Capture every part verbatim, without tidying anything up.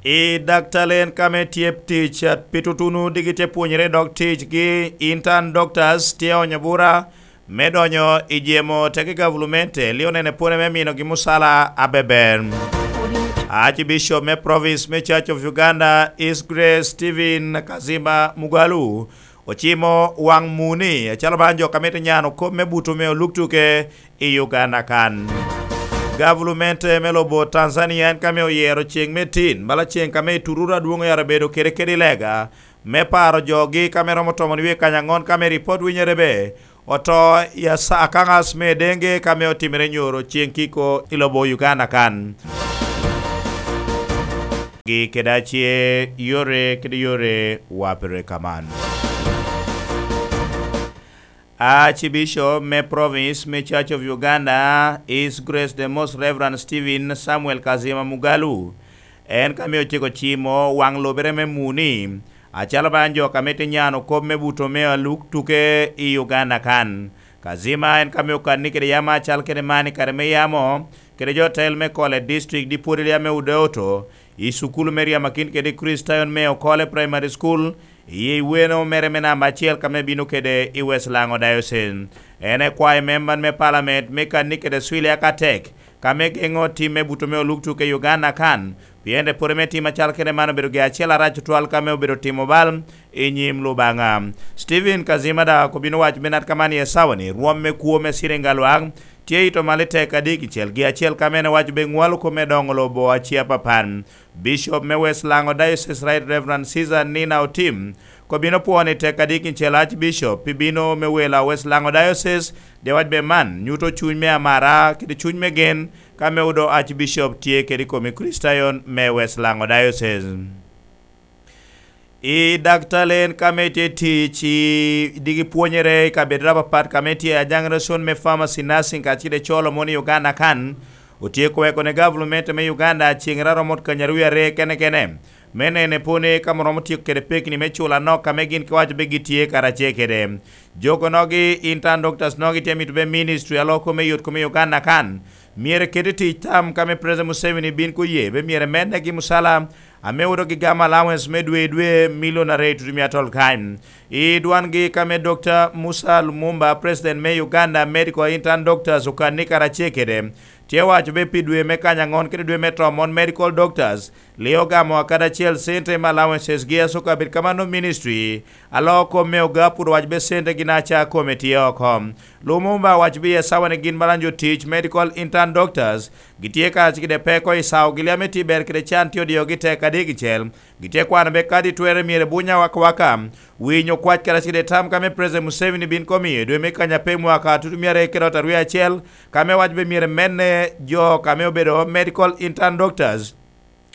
I daktal en kame tye tic pi tutuno digi tye pwonyere dok ticgi, intern doctors tye onyo bura me donyo i jemo tegi gavulumente lio nene pwone me minogi musala abeber. Archbishop me province me Church of Uganda, His Grace Stephen Kazimba Mugalu, ocimo waŋ muni acalo man jo ka mito nyano kop me buto me oluk tuke i Uganda kan. Gavulumente me lobo Tanzania en kame oyero ceŋ me tin bala ceŋ kame i Tururu adwoŋ oyaro bedo kede kede lega me paro jogi kame romo tomo nwie kany aŋon kame ripot winyere be oto i asa- akaŋas me denge kame otimere nyoro ceŋ kiko i lobo Uganda kan. Gi kede ace yore kede yore wapere kaman. Archbishop me province me Church of Uganda, His Grace the Most Reverend Stephen Samuel Kazima Mugalu, en kame ociko cimo waŋ lobere me muni, acalo man jo kame tye nyano kop me buto me aluk tuke i Uganda kan. Kazima en kame okanni kede yam acal kede man i kare me yamo, kede jo tel me kole district di pwod ame odoto, i cukulu me ryamakin kede Kricitayon me Okole Primary School, i weno mere me namba acel kame bino kede i West Lango Diocese. En ekwayo memban me palament me kanni kede Swilia Katek, kame geŋo tim me buto me oluk tuke i Uganda kan, pien epore me tim acal kede man obedo gi acel arac tutwal kame obedo timo bal i nyim Lubanga. Stephen Kazima daŋ okobino waco me nat kaman i esawa ni rwom me kwo me ciringi alwak tye i to malo i teka digicel gi acel kame en owaco be ŋwalo kome doŋo lobo aci apapat. Bishop me West Lango Diocese, Right Reverend Caesar Nina Otim, kobino pwoo ni teka digicel Archbishop pi bino me welo a West Lango Diocese, de wac be man nyuto cuny me amara kede cuny me gen ka me odo Archbishop tye kede i kom Kricitayon me West Lango Diocese. I daktal en kame tye tic i digi pwonyere i kabedo apapat kame tye ajaŋere con me pharmacy nursing kacel i colo moni Uganda kan, otye koweko ne gavulument me Uganda ceŋ raromot kanyarwi are kene kene me nene pwone ka romo tyeko kede pekni me culo anok kame gin kiwaco be gitye karacel kede jogo nogi intern doctors nogi tye mito be ministry aloko me yot kome Uganda kan myero kede tic tam kame President Museveni bin koye be myero mednegi musala ame odo gi gam allowance me dwe i dwe milion aryo tutumia tol kany. I dwangi kame Dr. Musa Lumumba, President me Uganda Medical Intern Doctors okanni karacel kede, tye waco be pi dwe me kany aŋon kede dwe me tomon medical doctors lio gamo akada acel cente me allowances gi asoka bed kamano ministry alo kom me oga pud owaco be cente gin aca kome tye oko. Lumumba owaco bi esawa ni gin malanjo tic medical intern doctors gitye kacel kede peko i sawo gili ame tye ber kede can tye odiogi tek adigicel. Gitye kwano be kadi twere myero buny awakawaka winyo kwac kede acel i tam kame President Museveni bin komiyo i dwe me kanya pe mwaka tutumia aryo kede ot aryo acel kame wac be myero menne jo kame obedo medical intern doctors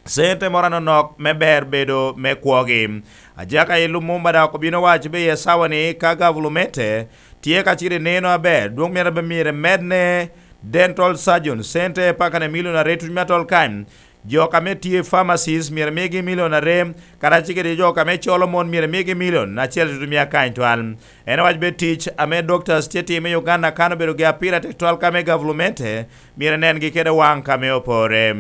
cente moro anonok me ber bedo me kwogi. Ajaka i Lumumba dok obino waco be i esawa ni ka gavulumente tye ka ciro neno aber dwong myero be myero medne dental surgeon cente paka ne milion aryo tutumia tol kany. Jo ka me tye pharmacies myero migi milion are, karacel kede jo ka me colo mon myero migi milion acel tutumia kany twal. En owac be tic ame doctors tye timo i Uganda kan obedo gi apira tek twal ka me gavulumente myero nengi kede waŋ ka me opore.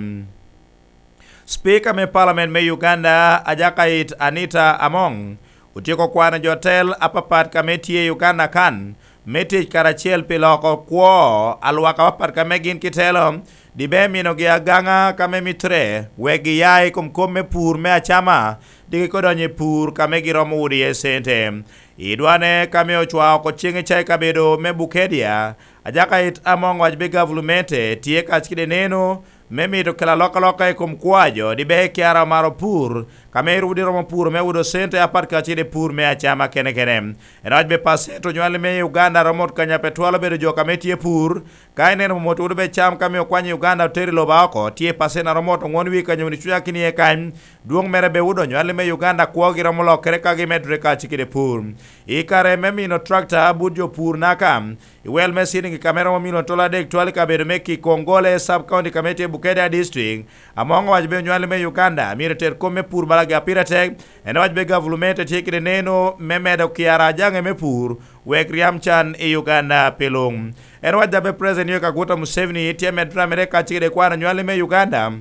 Speaker me Parliament me Uganda, Ajakait Anita Among, otyeko kwano jo tel apapat ka me tye i Uganda kan me tic karacel pi loko kwo alwak apapat ka me gin kitelo, dibe minogi agaŋa ka me mitre wek giya i kom kop me pur me acama, diki kodonyo i pur ka me giromo udo iye cente. I dwane ka me ocwa oko ceng i ca i kabedo me Bukedia, Ajakait Among owaco be gavulumente tye kacel kede neno me mito kelo alokaloka i kom kwaco dibe kiara omaro pur ka me rudi romo puro me udo cente apat kacel i pur me acama kene kene. En owaco be pacent onywali me Uganda romo ot kanya pe twal obedo jo ka me tye pur. Ka ineno mot udo be cam ka me okwany i Uganda otero i loba oko tye pacent aromo ot ongwon wie kanya wuni cunya kini iye kany. Dwong mere be udo onywali me Uganda kwogi romo lokere ka gimedore kacel kede pur. I kare me mino tractor but jo pur naka i wel me cilingi ka me romo milion tol adek twal i kabedo me Kikongole sub county ka me tye Bukedea district. Among owaco be onywali me Uganda myero eter kom me pur balagi apira tek. En owaco be gavulumente tye kede neno me medo kiara ajaŋe me pur wek ryam can i Uganda pe luŋ. En owaco dabe President Yoweri Kaguta Museveni tye medo tamere kacel kede kwano onywali me Uganda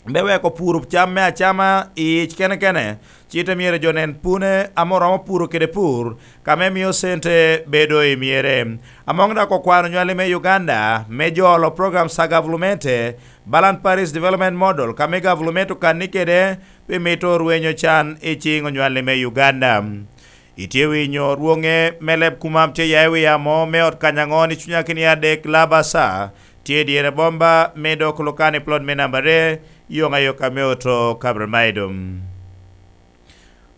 me weko puro cam me acama i ic kene kene, ci te myero jo nen pune ame oromo puro kede pur, ka me mio cente bedo i myere. Among dak okwano nywali me Uganda me jolo program sa gavulumente, Balan Paris Development Model, ka me gavulument okanni kede pi mito rwenyo can i ciŋ onywali me Uganda. Itye winyo rwoŋe me leb kumam tye ya i wi amo me ot kany aŋo ni cunya kini adek Labasa, tye i dyere bomba me dok Lukani plot me namba aryo, yoŋ ayoka me oto Kabramaidum.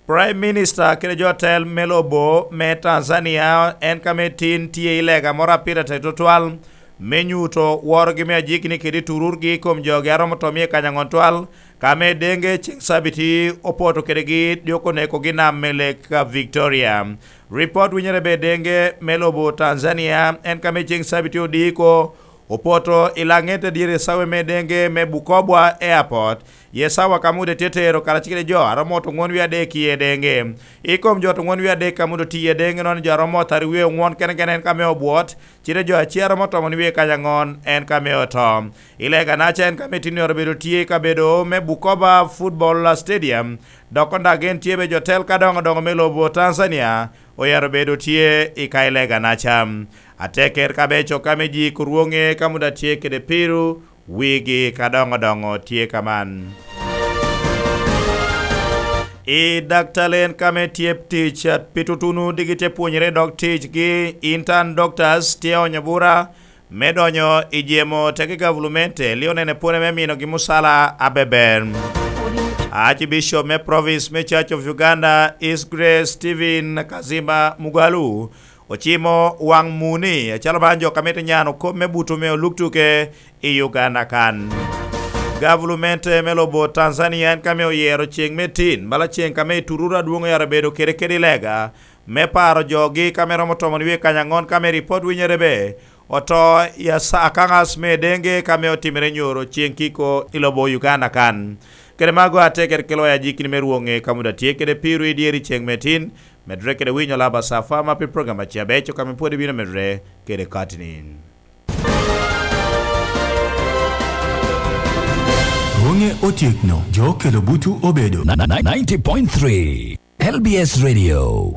Prime Minister kede jo otel me lobo me Tanzania en ka me tin tye i lega moro a pire tek tutwal me nyuto worogi me ajikni kede tururgi i kom jogi a romo to mia kany aŋon twal, ka me denge ceŋ cabiti opoto kedegi dyoko nekogi nam me Lake Victoria. Ripot winyere be denge me lobo Tanzania en ka me ceŋ cabiti odiko opoto i laŋet adiri i cawe me denge me Bukoba Airport, ye cawa ka mude tye tero karacel kede jo a romo oto ŋwon wie adek iye denge. I kom jo oto ŋwon wie adek ka mude otiye denge nono jo a romo oto aryo wie oŋwon kene kene en ka me obwot, cite jo acel a romo oto ŋwon wie kany aŋon en ka me oto. I lega naca en ka me tinni oro bedo tye i kabedo me Bukoba Football Stadium, dok kondak gin tye be jo tel ka doŋo doŋo me lobo Tanzania oyero bedo tye i ka i lega naca. Ateker ka be coka me ji kurwoŋe ka muda tye kede piru wigi ka doŋo doŋo tye kaman. I daktalen ka me tye tic pi tutunu digi tye pwonyere dok ticgi, intern doctors tye onyo bura me donyo i jemo teke gavulumente li onene pwone me minogi musala abeber. Archbishop me province me Church of Uganda East Grace Stephen Kazimba Mugalu ocimo waŋ muni acalo man jo ka mito nyano kop me buto me oluk tuke i Uganda kan. Gavulumente me lobo Tanzania en ka me oyero ceŋ me tin bala ceŋ ka me tururu adwoŋ oyaro bedo kede kede i lega me paro jogi ka me romo tomo wie kany aŋon ka me ripot winyere be oto i asa- akaŋas me denge ka me otimere nyoro ceŋ kiko i lobo Uganda kan. Kede mago atekere kelo ya jikini me rwoŋe ka muda tye kede piru i dyeri ceŋ me tin. Medre kede winyo laba cafa ma pi program ace abeco ka me pwod ibino medre kede katinin. Rwoŋe otyekno, jo okelo butu obedo. Ninety point three L B S Radio.